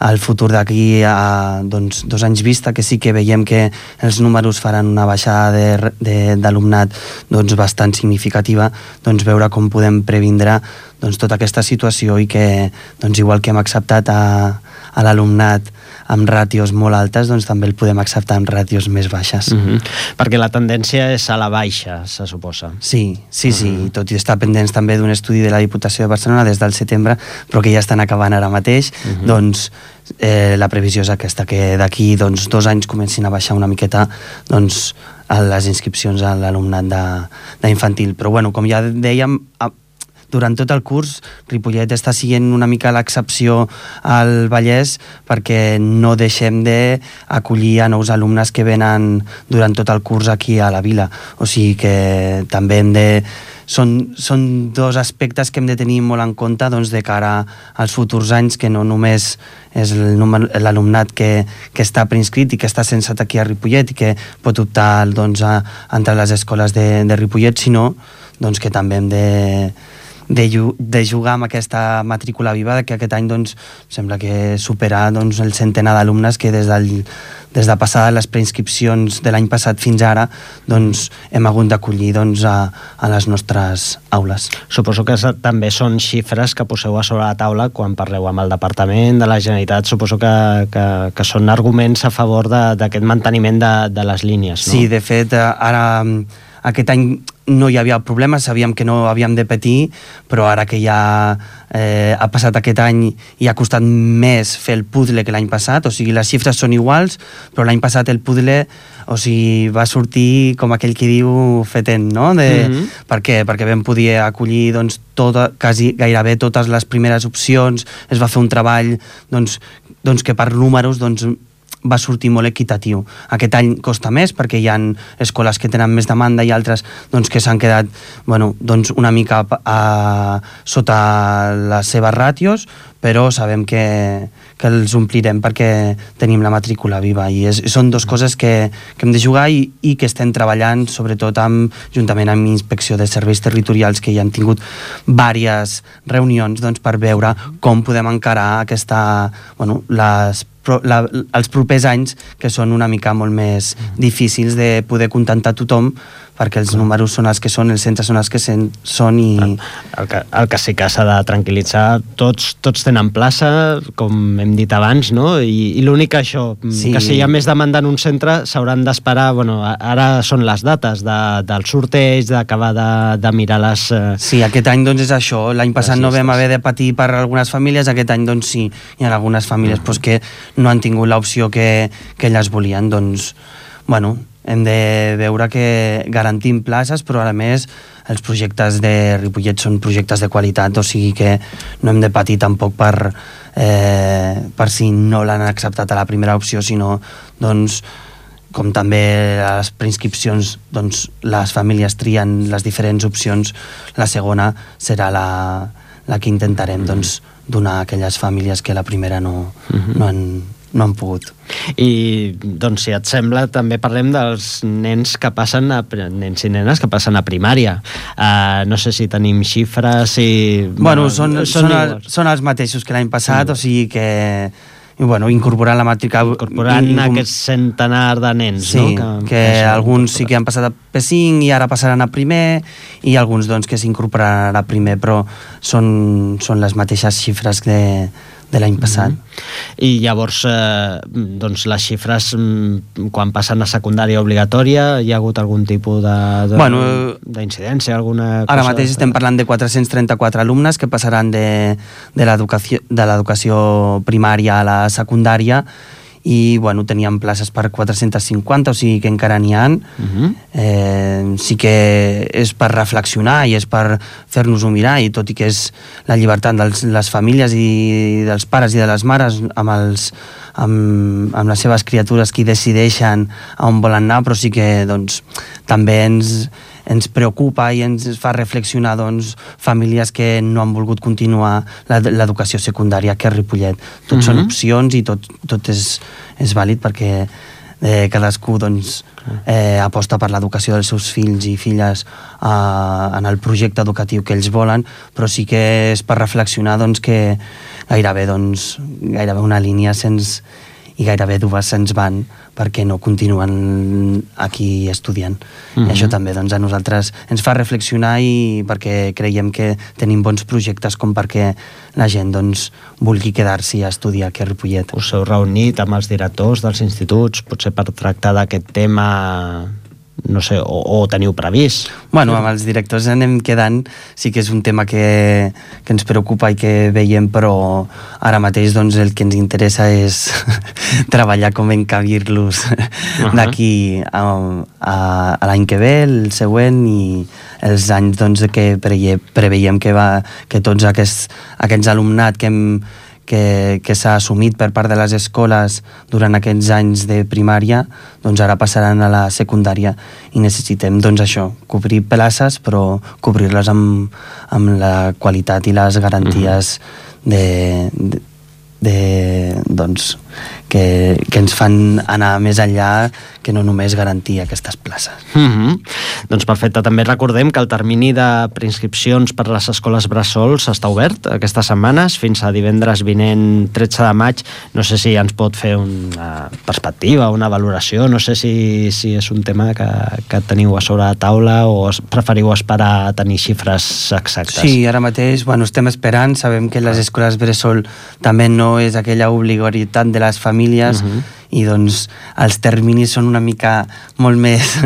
el futur d'aquí a 2 anys vista, que sí que veiem que els números faran una baixada d'alumnat bastant significativa, veure com podem previndre tota aquesta situació i que, igual que hem acceptat a l'alumnat amb ràtios molt altes, doncs també el podem acceptar amb ràtios més baixes. Perquè la tendència és a la baixa, se suposa. Sí, tot i estar pendents també d'un estudi de la Diputació de Barcelona des del setembre, però que ja estan acabant ara mateix, doncs la previsió és aquesta, que d'aquí 2 anys comencin a baixar una miqueta doncs, les inscripcions a l'alumnat d'infantil. Però bueno, com ja dèiem, durant tot el curs Ripollet està sent una mica l'excepció al Vallès, perquè no deixem d'acollir a nous alumnes que venen durant tot el curs aquí a la vila. O sigui que també hem de... Són 2 aspectes que hem de tenir molt en compte doncs, de cara als futurs anys, que no només és l'alumnat que està preinscrit i que està censat aquí a Ripollet i que pot optar doncs, a entrar a les escoles de Ripollet, sinó doncs, que també hem de jugar amb aquesta matrícula viva, que aquest any doncs, sembla que supera doncs, el centenar d'alumnes que des de passar les preinscripcions de l'any passat fins ara doncs, hem hagut d'acollir doncs, a les nostres aules. Suposo que també són xifres que poseu a sobre la taula quan parleu amb el Departament de la Generalitat. Suposo que són arguments a favor d'aquest manteniment de les línies, no? Sí, de fet, ara aquest any no hi havia problema, sabíem que no havíem de patir, però ara que ja ha passat aquest any i ha costat més fer el puzzle que l'any passat, o sigui, les xifres són iguals, però l'any passat el puzzle, o sigui, va sortir com aquell que diu fetent, no? Per què? Perquè vam poder acollir doncs, gairebé totes les primeres opcions, es va fer un treball doncs, que per números doncs, va sortir molt equitatiu. Aquest any costa més perquè hi ha escoles que tenen més demanda i altres doncs, que s'han quedat doncs, una mica sota les seves ràtios, però sabem que els omplirem perquè tenim la matrícula viva i són 2 coses que hem de jugar i que estem treballant sobretot juntament amb Inspecció de Serveis Territorials, que ja hem tingut diverses reunions doncs, per veure com podem encarar els propers anys, que són una mica molt més difícils de poder contentar tothom, perquè els números són els que són, els centres són els que són i... El que sí que s'ha de tranquil·litzar, tots tenen plaça, com hem dit abans, no? I l'únic això, que si hi ha més demanda en un centre s'hauran d'esperar, ara són les dates del sorteig, d'acabar de mirar les... Sí, aquest any doncs és això, l'any passat no vam haver de patir per algunes famílies, aquest any doncs sí, hi ha algunes famílies que no han tingut l'opció que elles volien, doncs, hem de veure que garantim places, però a més els projectes de Ripollet són projectes de qualitat, o sigui que no hem de patir tampoc per si no l'han acceptat a la primera opció, sinó doncs, com també a les preinscripcions doncs, les famílies trien les diferents opcions, la segona serà la que intentarem doncs, donar a aquelles famílies que la primera no han pogut. I, doncs, si et sembla, també parlem dels nens que passen nens i nenes que passen a primària. No sé si tenim xifres, són els mateixos que l'any passat, o sigui que incorporant la matrícula... Incorporant aquest centenar de nens, sí, no? Que alguns sí que han passat a P5 i ara passaran a primer, i alguns doncs, que s'incorporaran a primer, però són les mateixes xifres de l'any passat. I llavors, doncs, les xifres, quan passen a secundària obligatòria, hi ha hagut algun tipus d'incidència, alguna cosa? Ara mateix estem parlant de 434 alumnes que passaran de l'educació primària a la secundària, i teníem places per 450, o sigui que encara n'hi ha. Sí que és per reflexionar i és per fer-nos-ho mirar, i tot i que és la llibertat de les famílies i dels pares i de les mares amb les seves criatures qui decideixen a on volen anar, però sí que també ens preocupa i ens fa reflexionar famílies que no han volgut continuar l'educació secundària aquí a Ripollet. Tot són opcions i tot és vàlid, perquè cadascú aposta per l'educació dels seus fills i filles en el projecte educatiu que ells volen, però sí que és per reflexionar que gairebé una línia se'ns i gairebé 2 se'ns van perquè no continuen aquí estudiant. I això també doncs, a nosaltres ens fa reflexionar i perquè creiem que tenim bons projectes com perquè la gent doncs, vulgui quedar-s'hi a estudiar aquí a Ripollet. Us heu reunit amb els directors dels instituts, potser per tractar d'aquest tema, no sé, o teniu previst? Bueno, amb els directors anem quedant, sí que és un tema que ens preocupa i que veiem, però ara mateix doncs, el que ens interessa és treballar com encabir-los d'aquí a l'any que ve, el següent, i els anys doncs, que preveiem que tots aquests alumnat que s'ha assumit per part de les escoles durant aquests anys de primària, doncs ara passaran a la secundària i necessitem doncs això, cobrir places però cobrir-les amb la qualitat i les garanties doncs, que ens fan anar més enllà que no només garantir aquestes places. Doncs perfecte, també recordem que el termini de preinscripcions per a les escoles bressol està obert aquestes setmanes fins a divendres vinent 13 de maig. No sé si ens pot fer una perspectiva, una valoració, no sé si és un tema que teniu a sobre la taula o preferiu esperar a tenir xifres exactes. Sí, ara mateix estem esperant, sabem que les escoles bressol també no és aquella obligatorietat de les famílies i doncs els terminis són una mica molt més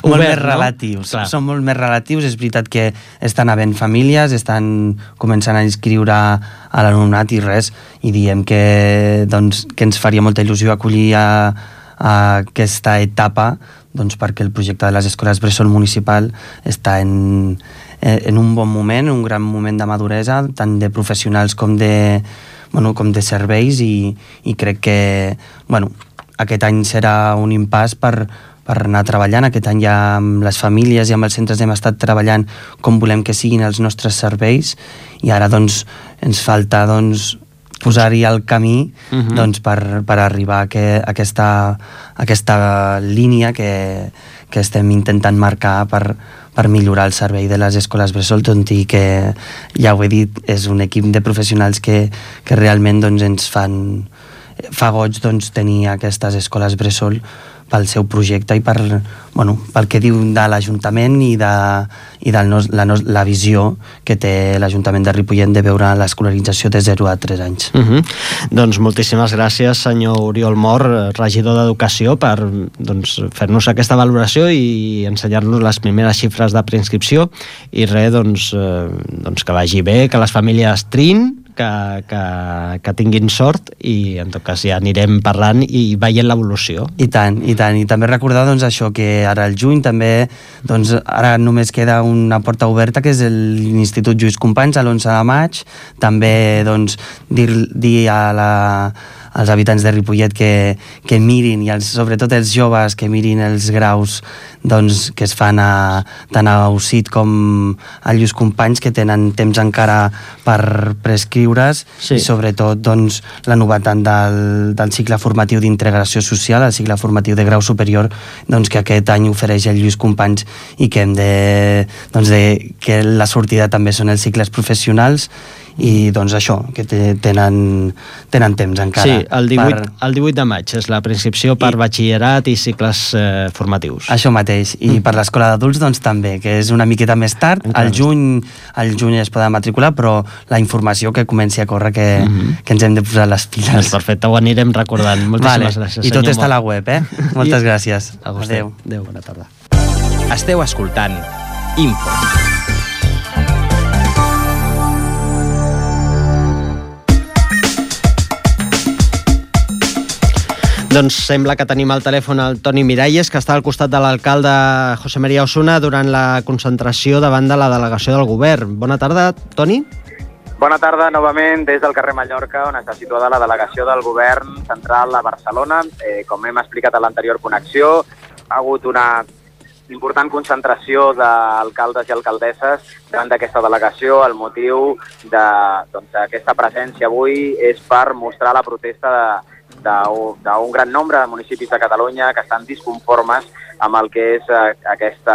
relatius. No? Són molt més relatius, és veritat que estan havent famílies, estan començant a inscriure a l'alumnat i res, i diem que ens faria molta il·lusió acollir a aquesta etapa doncs perquè el projecte de les escoles bressol municipal està en un bon moment, un gran moment de maduresa, tant de professionals com de serveis, i crec que aquest any serà un impàs per anar treballant. Aquest any ja amb les famílies i amb els centres hem estat treballant com volem que siguin els nostres serveis, i ara doncs ens falta posar-hi el camí per arribar a aquesta línia que estem intentant marcar per millorar el servei de les escoles bressol, tot i que, ja ho he dit, és un equip de professionals que realment ens fa goig tenir aquestes escoles bressol pel seu projecte i pel que diu de l'Ajuntament i de la visió que té l'Ajuntament de Ripollet de veure l'escolarització de 0 a 3 anys. Doncs moltíssimes gràcies, senyor Oriol Mor, regidor d'Educació, per fer-nos aquesta valoració i ensenyar-nos les primeres xifres de preinscripció, i res, que vagi bé, que les famílies triïn, que tinguin sort, i en tot cas ja anirem parlant i veient l'evolució. I tant, i també recordar això, que ara al juny també, ara només queda una porta oberta, que és l'Institut Lluís Companys, a l'11 de maig, també dir als habitants de Ripollet que mirin, i sobretot els joves, que mirin els graus que es fan tant a UCIT com a Lluís Companys, que tenen temps encara per prescriure's, i sobretot la novetat del cicle formatiu d'integració social, el cicle formatiu de grau superior, que aquest any ofereix el Lluís Companys, i que hem que la sortida també són els cicles professionals, i això, que tenen temps encara. Sí, el 18 de maig és la preinscripció per batxillerat i cicles formatius. Això mateix, i per l'escola d'adults també, que és una miqueta més tard, al juny es poden matricular, però la informació que comenci a córrer, que ens hem de posar les piles. Perfecte, ho anirem recordant. Moltíssimes gràcies, i tot està a la web, Moltes gràcies. Adéu. Adéu, bona tarda. Esteu escoltant Info. Doncs sembla que tenim al telèfon el Toni Miralles, que està al costat de l'alcalde José María Osuna durant la concentració davant de la delegació del govern. Bona tarda, Toni. Bona tarda novament des del carrer Mallorca, on està situada la delegació del govern central a Barcelona. Com hem explicat a l'anterior connexió, ha hagut una important concentració d'alcaldes i alcaldesses davant d'aquesta delegació. El motiu d'aquesta presència avui és per mostrar la protesta d'un gran nombre de municipis de Catalunya que estan disconformes amb el que és aquest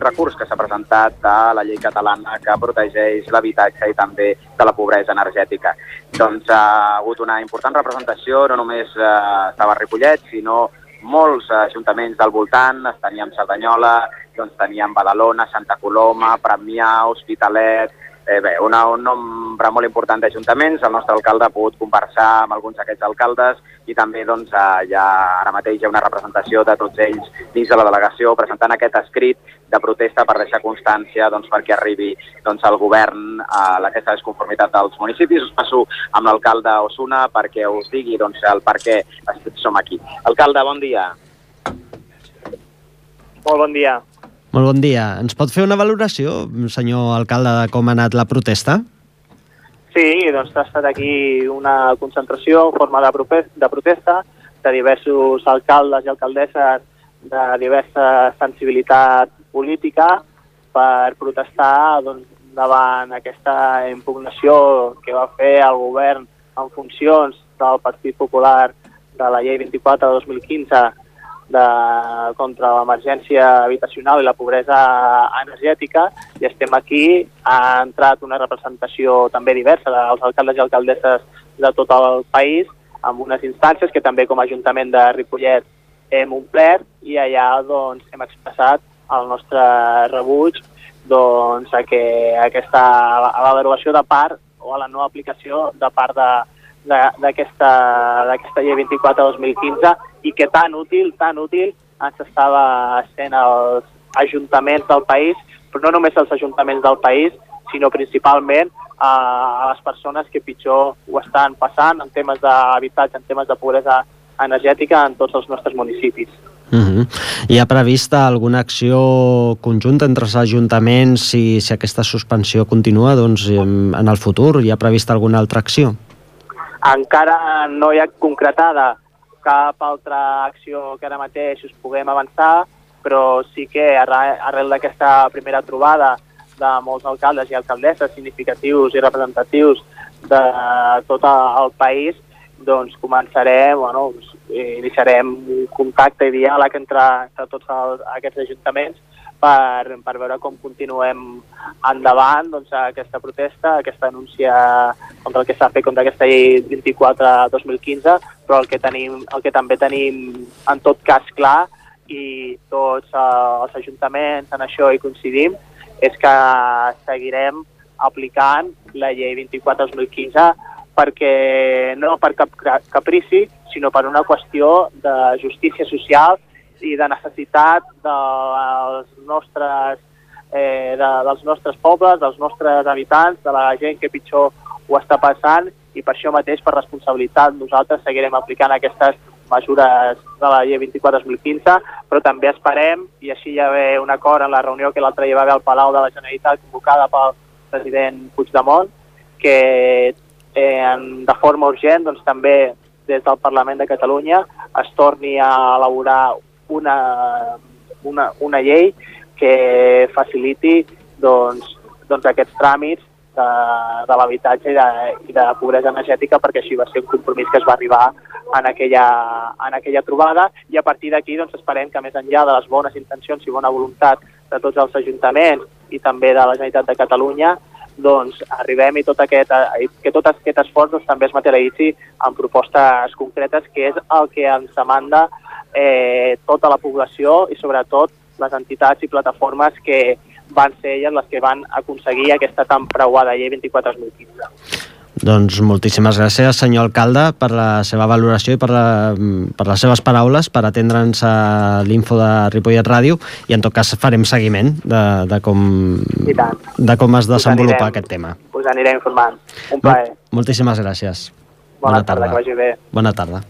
recurs que s'ha presentat de la llei catalana que protegeix l'habitatge i també de la pobresa energètica. Doncs ha hagut una important representació, no només estava a Ripollet, sinó molts ajuntaments del voltant, teníem Cerdanyola, doncs teníem Badalona, Santa Coloma, Premià, Hospitalet, un nombre molt important d'ajuntaments. El nostre alcalde ha pogut conversar amb alguns d'aquests alcaldes i també doncs, ara mateix hi ha una representació de tots ells dins de la delegació presentant aquest escrit de protesta per deixar constància perquè arribi al govern aquesta desconformitat dels municipis. Us passo amb l'alcalde Osuna perquè us digui el per què som aquí. Alcalde, bon dia. Molt bon dia. Molt bon dia. Ens pot fer una valoració, senyor alcalde, de com ha anat la protesta? Sí, doncs ha estat aquí una concentració en forma de protesta de diversos alcaldes i alcaldesses de diversa sensibilitat política per protestar davant aquesta impugnació que va fer el govern en funcions del Partit Popular de la llei 24 de 2015 contra l'emergència habitacional i la pobresa energètica, i estem aquí. Ha entrat una representació també diversa dels alcaldes i alcaldesses de tot el país, amb unes instàncies que també com a Ajuntament de Ripollet hem omplert, i allà hem expressat el nostre rebuig a la derogació de part o a la no aplicació de part d'aquesta llei 24/2015, i que tan útil ens estava sent als ajuntaments del país, però no només als ajuntaments del país, sinó principalment a les persones que pitjor ho estan passant en temes d'habitatge, en temes de pobresa energètica en tots els nostres municipis. Hi ha prevista alguna acció conjunta entre els ajuntaments si aquesta suspensió continua en el futur? Hi ha prevista alguna altra acció? Encara no hi ha concretada cap altra acció que ara mateix us puguem avançar, però sí que arrel d'aquesta primera trobada de molts alcaldes i alcaldesses significatius i representatius de tot el país, doncs iniciarem un contacte i diàleg entre tots aquests ajuntaments per veure com continuem endavant aquesta protesta, aquesta denúncia contra el que s'ha fet contra aquesta llei 24/2015, però el que també tenim en tot cas clar, i tots els ajuntaments en això hi coincidim, és que seguirem aplicant la llei 24/2015 no per cap caprici, sinó per una qüestió de justícia social i de necessitat dels nostres pobles, dels nostres habitants, de la gent que pitjor ho està passant, i per això mateix, per responsabilitat, nosaltres seguirem aplicant aquestes mesures de la llei 24/2015, però també esperem, i així hi va haver un acord en la reunió que l'altre dia va haver al Palau de la Generalitat convocada pel president Puigdemont, que de forma urgent també des del Parlament de Catalunya es torni a elaborar una llei que faciliti aquests tràmits de l'habitatge i de pobresa energètica, perquè així va ser un compromís que es va arribar en aquella trobada, i a partir d'aquí esperem que més enllà de les bones intencions i bona voluntat de tots els ajuntaments i també de la Generalitat de Catalunya, arribem i que tot aquest esforç també es materialitzi en propostes concretes, que és el que ens demanda tota la població i sobretot les entitats i plataformes que van ser elles les que van aconseguir aquesta tan preuada llei 24/2015. Doncs moltíssimes gràcies, senyor alcalde, per la seva valoració i per les seves paraules, per atendre'ns a l'Info de Ripollet Ràdio, i en tot cas farem seguiment de com es desenvolupa aquest tema. Us aniré informant. Un plaer. Moltíssimes gràcies. Bona tarda, que vagi bé. Bona tarda.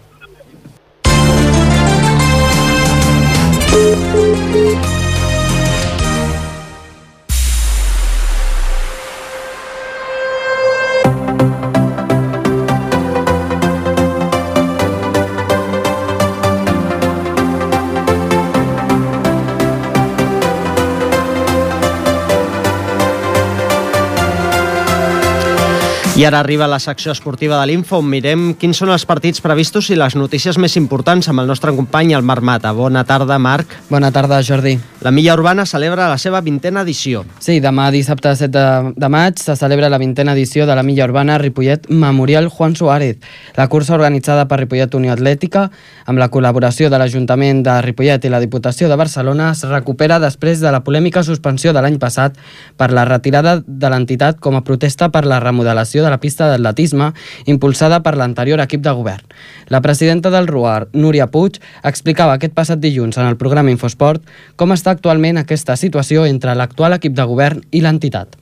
I I ara arriba la secció esportiva de l'Info, on mirem quins són els partits previstos i les notícies més importants amb el nostre company, el Marc Mata. Bona tarda, Marc. Bona tarda, Jordi. La Milla Urbana celebra la seva 20a edició. Sí, demà dissabte 7 de maig se celebra la 20a edició de la Milla Urbana Ripollet Memorial Juan Suárez. La cursa organitzada per Ripollet Unió Atlètica, amb la col·laboració de l'Ajuntament de Ripollet i la Diputació de Barcelona, es recupera després de la polèmica suspensió de l'any passat per la retirada de l'entitat com a protesta per la remodelació de la pista d'atletisme impulsada per l'anterior equip de govern. La presidenta del RUAR, Núria Puig, explicava aquest passat dilluns en el programa Infosport com està actualment aquesta situació entre l'actual equip de govern i l'entitat.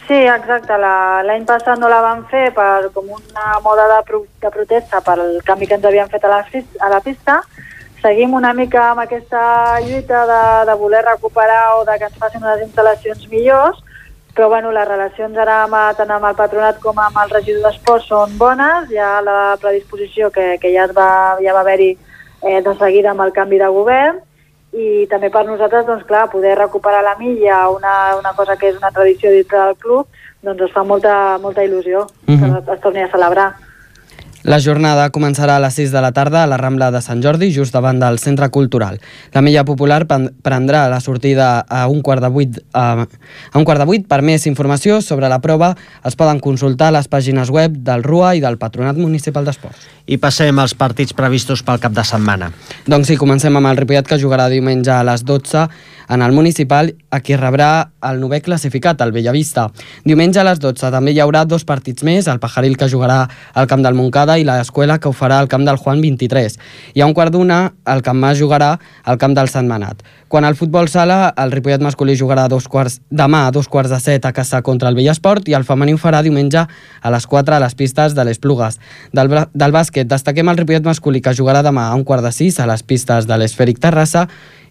Sí, exacte. L'any passat no la vam fer com una moda de protesta pel canvi que ens havien fet a la pista. Seguim una mica amb aquesta lluita de voler recuperar o de que ens facin unes instal·lacions millors, però bueno, les relacions ara tant amb el patronat com amb el regidor d'Esports són bones. Hi ha la predisposició que ja va haver-hi de seguida amb el canvi de govern, i també per nosaltres, doncs clar, poder recuperar la milla, una cosa que és una tradició dintre del club, doncs ens fa molta il·lusió que es torni a celebrar. La jornada començarà a les 6 de la tarda a la Rambla de Sant Jordi, just davant del Centre Cultural. La Milla Popular prendrà la sortida a un quart de vuit. Per més informació sobre la prova es poden consultar les pàgines web del RUA i del Patronat Municipal d'Esports. I passem als partits previstos pel cap de setmana. Doncs sí, comencem amb el Ripollet, que jugarà diumenge a les 12 en el Municipal, a qui rebrà el 9è classificat, el Bellavista. Diumenge a les 12 també hi haurà 2 partits més, el Pajaril, que jugarà al camp del Montcada, i l'Escuela, que ho farà al camp del Juan 23. I a un quart d'una, el Camp Mas jugarà al camp del Sant Manat. Quan al futbol sala, el Ripollet masculí jugarà demà a 2:15 a casa contra el Vellesport, i el femení ho farà diumenge a les 4 a les pistes de l'Esplugues. Del bàsquet, destaquem el Ripollet masculí, que jugarà demà a 5:45 a les pistes de l'Esfèric Terrassa,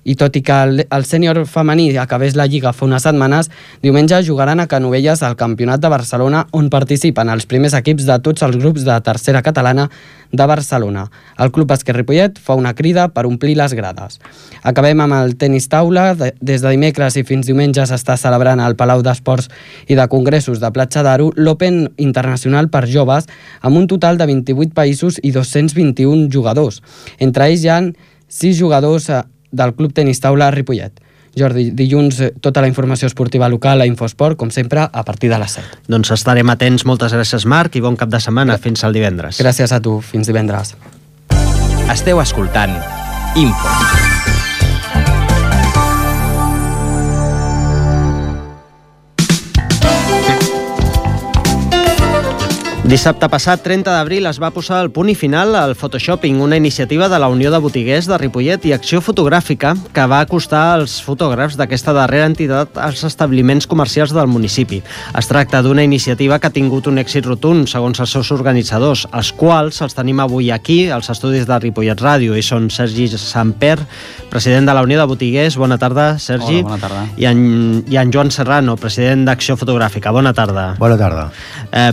i tot i que el sènior femení acabés la Lliga fa unes setmanes, diumenge jugaran a Canovelles al Campionat de Barcelona, on participen els primers equips de tots els grups de tercera catalana de Barcelona. El Club Bàsquet Ripollet fa una crida per omplir les grades. Acabem amb el tenis taula. Des de dimecres i fins diumenge s'està celebrant al Palau d'Esports i de Congressos de Platja d'Aro l'Open Internacional per joves, amb un total de 28 països i 221 jugadors. Entre ells hi ha 6 jugadors del Club Tenis Taula Ripollet. Jordi, dilluns tota la informació esportiva local a Infosport, com sempre, a partir de les 7. Doncs estarem atents. Moltes gràcies, Marc, i bon cap de setmana. Fins al divendres. Gràcies a tu. Fins divendres. Esteu escoltant Info. Dissabte passat, 30 d'abril, es va posar el punt i final al Photoshopping, una iniciativa de la Unió de Botiguers de Ripollet i Acció Fotogràfica que va acostar els fotògrafs d'aquesta darrera entitat als establiments comercials del municipi. Es tracta d'una iniciativa que ha tingut un èxit rotund, segons els seus organitzadors, els quals els tenim avui aquí, als estudis de Ripollet Ràdio, i són Sergi Samper, president de la Unió de Botiguers. Bona tarda, Sergi. Hola, bona tarda. I en Joan Serrano, president d'Acció Fotogràfica. Bona tarda. Bona tarda.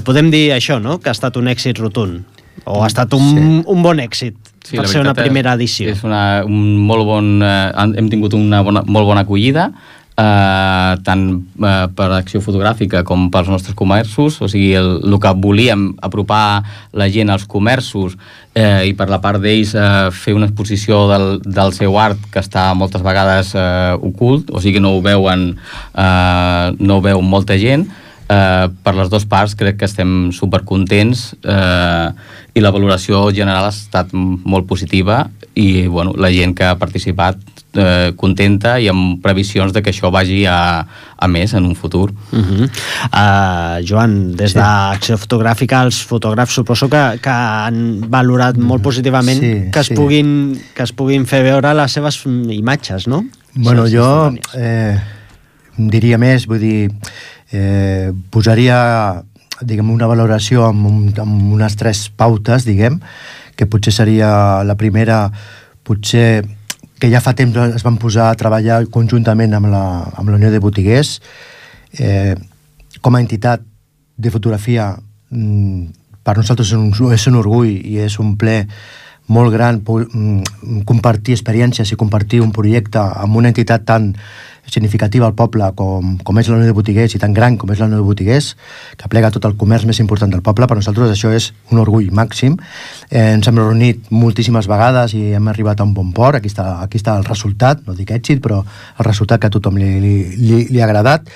Podem dir això, no?, que ha estat un èxit rotund, o ha estat un bon èxit per ser una primera edició. És un molt bon... hem tingut una molt bona acollida, tant per Acció Fotogràfica com pels nostres comerços. O sigui, el que volíem, apropar la gent als comerços, i per la part d'ells fer una exposició del seu art, que està moltes vegades ocult, o sigui, no ho veu molta gent. Per les dues parts crec que estem supercontents, i la valoració general ha estat molt positiva, i bueno, la gent que ha participat contenta, i amb previsions de que això vagi a més en un futur. Joan, des d'Acció Fotogràfica, els fotògrafs suposo que han valorat molt positivament que es puguin fer veure les seves imatges, no? Bueno, jo diria més, vull dir, posaria, diguem, una valoració amb unes 3 pautes, diguem, que potser seria la primera, potser que ja fa temps es van posar a treballar conjuntament amb la Unió de Botiguers. Com a entitat de fotografia, per nosaltres és un orgull i és un ple molt gran compartir experiències i compartir un projecte amb una entitat tan significativa al poble com és la Unió de Botiguers, i tan gran com és la Unió de Botiguers, que aplega tot el comerç més important del poble. Per nosaltres això és un orgull màxim. Ens hem reunit moltíssimes vegades i hem arribat a un bon port. Aquí està el resultat, no dic èxit, però el resultat que a tothom li ha agradat.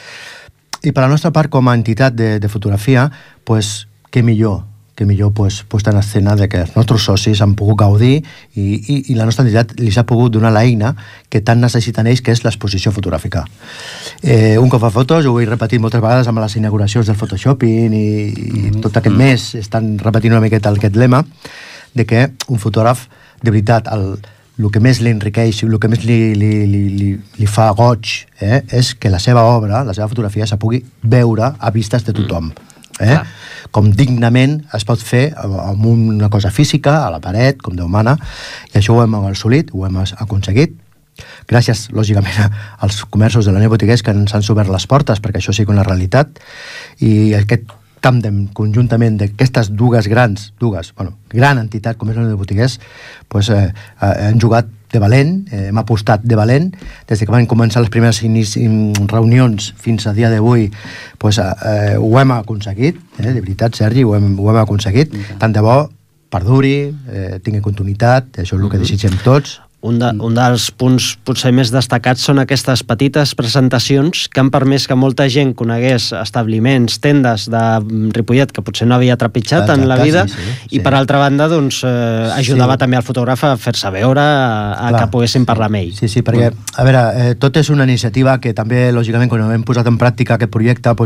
I per la nostra part, com a entitat de fotografia, pues, què millor posar en escena de que els nostres socis han pogut gaudir i la nostra entitat li s'ha pogut donar l'eina que tant necessiten ells, que és l'exposició fotogràfica. Un cop a fotos, ho he repetit moltes vegades amb les inauguracions del Photoshopping i tot aquest mes estan repetint una miqueta aquest lema de que un fotògraf, de veritat, el que més li enriqueix, el que més li fa goig, és que la seva obra, la seva fotografia, se pugui veure a vistes de tothom. Com dignament es pot fer amb una cosa física, a la paret, com Déu mana, i això ho hem assolit, ho hem aconseguit, gràcies, lògicament, als comerços de la Unió de Botiguers que ens han obert les portes perquè això sigui una realitat, i aquest tàndem conjuntament d'aquestes gran entitat com és la Unió de Botiguers, han jugat de valent, hem apostat de valent, des que van començar les primeres reunions fins a dia d'avui, ho hem aconseguit, de veritat, Sergi, ho hem aconseguit, tant de bo perduri, tingui continuïtat, això és el que desitgem tots. Un dels punts potser més destacats són aquestes petites presentacions que han permès que molta gent conegués establiments, tendes de Ripollet que potser no havia trepitjat en la vida, i per altra banda ajudava també al fotògraf a fer-se veure, que poguessin parlar amb ell. Sí, perquè, a veure, tot és una iniciativa que també, lògicament, quan hem posat en pràctica aquest projecte,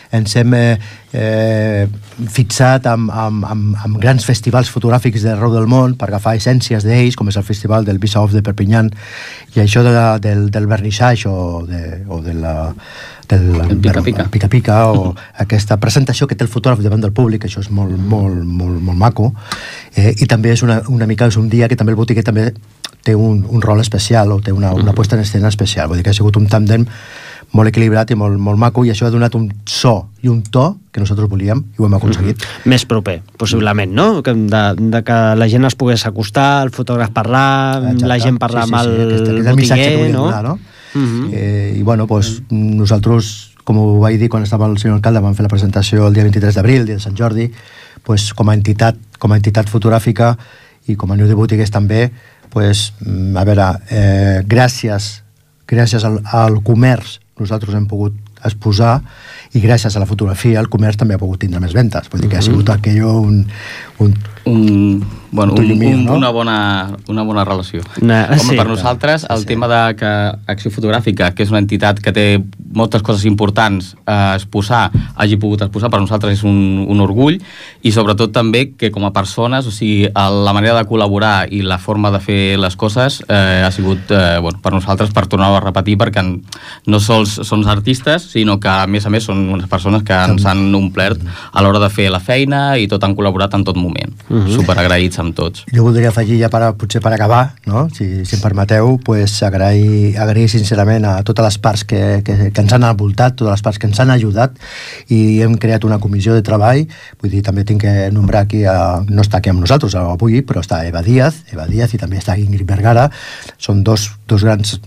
ens hem fixat amb grans festivals fotogràfics d'arreu del món per agafar essències d'ells, com és el festival del Visa Off de Perpinyà, i això del vernissage o del pica-pica, o aquesta presentació que té el fotògraf davant del públic, això és molt maco, i també és una mica, és un dia que també el botiguer també té un rol especial, o té una puesta en escena especial. Vull dir que ha sigut un tàndem molt equilibrat i molt maco, i això ha donat un so i un to que nosaltres volíem i ho hem aconseguit. Més proper, possiblement, no? De que la gent es pogués acostar, el fotògraf parlar, la gent parlar amb el botiguer, no? I bueno, nosaltres, com ho vaig dir quan estava el senyor alcalde, vam fer la presentació el dia 23 d'abril, el dia de Sant Jordi, com a entitat fotogràfica i com a Unió de Botiguers també, a veure, gràcies al comerç nosaltres hem pogut exposar, i gràcies a la fotografia el comerç també ha pogut tindre més ventes. Vull dir que ha sigut una bona relació. Per nosaltres, el tema de que Acció Fotogràfica, que és una entitat que té moltes coses importants a exposar, hagi pogut exposar, per nosaltres és un orgull, i sobretot també que com a persones, o sigui, la manera de col·laborar i la forma de fer les coses ha sigut, per nosaltres, per tornar-ho a repetir, perquè no sols són artistes, sinó que a més són unes persones que ens han omplert a l'hora de fer la feina, i tot han col·laborat en tot moment. Superagraïts amb tots. Jo voldria afegir ja potser per acabar, si em permeteu, agrair sincerament a totes les parts que ens han envoltat, totes les parts que ens han ajudat, i hem creat una comissió de treball. Vull dir, també tinc que nombrar aquí, no està aquí amb nosaltres avui, però està Eva Díaz, i també està Ingrid Vergara. Són dos grans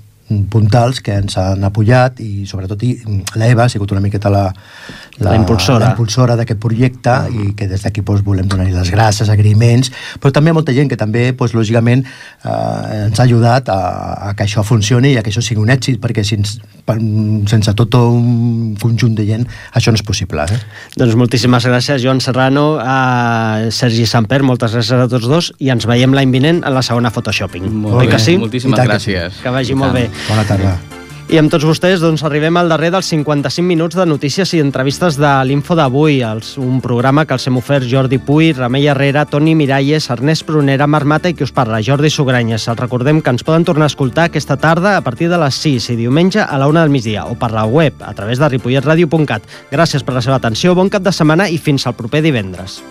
puntals que ens han apoyat, i sobretot l'Eva ha sigut una miqueta la impulsora d'aquest projecte, i que des d'aquí volem donar-li les gràcies, agraïments, però també molta gent que també, lògicament, ens ha ajudat a que això funcioni i a que això sigui un èxit, perquè sense tot un conjunt de gent això no és possible. Doncs moltíssimes gràcies, Joan Serrano, a Sergi Samper, moltes gràcies a tots dos, i ens veiem l'any vinent a la segona Photoshopping. Molt bé, moltíssimes gràcies. Que vagi molt bé. Bona tarda. I amb tots vostès arribem al darrer dels 55 minuts de notícies i entrevistes de l'Info d'avui, un programa que els hem ofert Jordi Puy, Remei Herrera, Toni Miralles, Ernest Prunera, Marc Mata i qui us parla, Jordi Sugranyes. Els recordem que ens poden tornar a escoltar aquesta tarda a partir de les 6 i diumenge a la 1 del migdia, o per la web a través de ripolletradio.cat. Gràcies per la seva atenció, bon cap de setmana i fins al proper divendres.